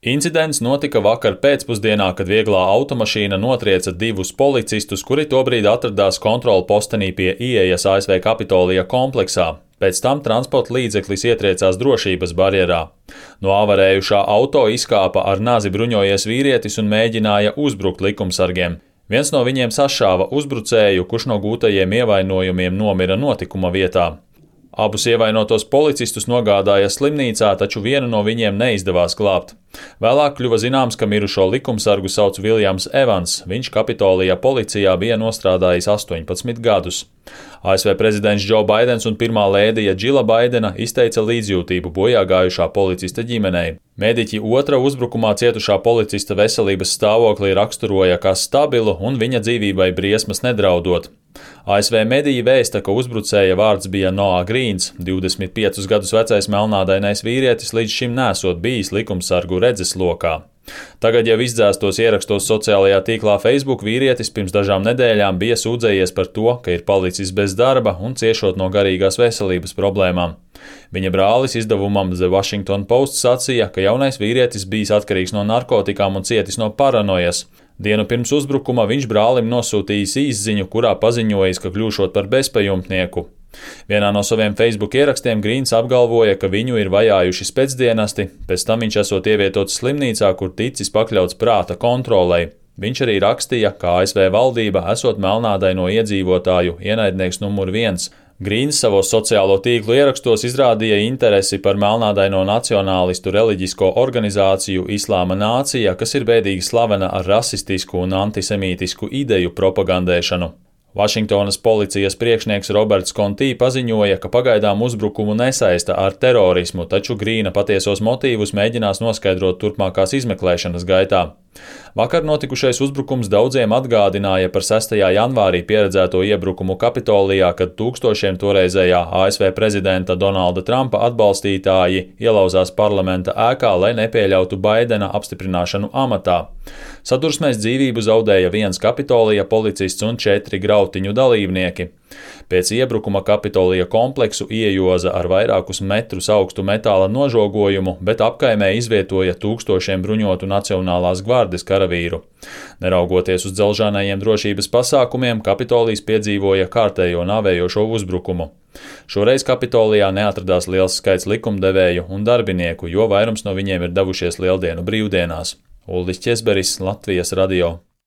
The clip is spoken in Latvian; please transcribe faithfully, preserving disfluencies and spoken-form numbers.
Incidents notika vakar pēcpusdienā, kad vieglā automašīna notrieca divus policistus, kuri tobrīd atradās kontrolu postenī pie ieejas A S V Kapitolija kompleksā. Pēc tam transporta līdzeklis ietriecās drošības barjerā. No avarējušā auto izkāpa ar nazi bruņojies vīrietis un mēģināja uzbrukt likumsargiem. Viens no viņiem sašāva uzbrucēju, kurš no gūtajiem ievainojumiem nomira notikuma vietā. Abus ievainotos policistus nogādāja slimnīcā, taču vienu no viņiem neizdevās glābt. Vēlāk kļuva zināms, ka mirušo likumsargu sauc Viljams Evans. Viņš Kapitolija policijā bija nostrādājis astoņpadsmit gadus. A S V prezidents Džo Baidens un pirmā lēdija Džila Baidena izteica līdzjūtību bojā gājušā policista ģimenei. Mēdiķi otra uzbrukumā cietušā policista veselības stāvokli raksturoja kā stabilu un viņa dzīvībai briesmas nedraudot. A S V mediji vēsta, ka uzbrucēja vārds bija Noah Grīns, divdesmit piecus gadus vecais melnādainais vīrietis līdz šim nesot bijis likumsargu redzeslokā. Tagad jau izdzēstos ierakstos sociālajā tīklā Facebook vīrietis pirms dažām nedēļām bija sūdzējies par to, ka ir palicis bez darba un ciešot no garīgās veselības problēmām. Viņa brālis izdevumam The Washington Post sacīja, ka jaunais vīrietis bijis atkarīgs no narkotikām un cietis no paranojas. Dienu pirms uzbrukuma viņš brālim nosūtījis īsziņu, kurā paziņojis, ka kļūšot par bezpajumtnieku. Vienā no saviem Facebook ierakstiem Grīns apgalvoja, ka viņu ir vajājuši spēcdienesti, pēc tam viņš esot ievietots slimnīcā, kur ticis pakļauts prāta kontrolei. Viņš arī rakstīja, ka A S V valdība esot melnādaino iedzīvotāju ienaidnieks numur viens. Grīns savos sociālo tīklu ierakstos izrādīja interesi par melnādaino nacionālistu reliģisko organizāciju Islāma nācija, kas ir bēdīgi slavena ar rasistisku un antisemītisku ideju propagandēšanu. Vašingtonas policijas priekšnieks Roberts Kontī paziņoja, ka pagaidām uzbrukumu nesaista ar terorismu, taču Grīna patiesos motīvus mēģinās noskaidrot turpmākās izmeklēšanas gaitā. Vakar notikušais uzbrukums daudziem atgādināja par sestajā janvārī pieredzēto iebrukumu Kapitolijā, kad tūkstošiem toreizējā A S V prezidenta Donalda Trumpa atbalstītāji ielauzās parlamenta ēkā, lai nepieļautu Baidena apstiprināšanu amatā. Sadursmēs dzīvību zaudēja viens Kapitolija policists un četri grautiņu dalībnieki. Pēc iebrukuma Kapitolija kompleksu iejoza ar vairākus metrus augstu metāla nožogojumu, bet apkaimē izvietoja tūkstošiem bruņotu Nacionālās gvardes karavīru. Neraugoties uz dzelžānajiem drošības pasākumiem, Kapitolijs piedzīvoja kārtējo nāvējošo uzbrukumu. Šoreiz Kapitolijā neatradās liels skaits likumdevēju un darbinieku, jo vairums no viņiem ir devušies lieldienu brīvdienās. Uldis Ķesberis, Latvijas radio.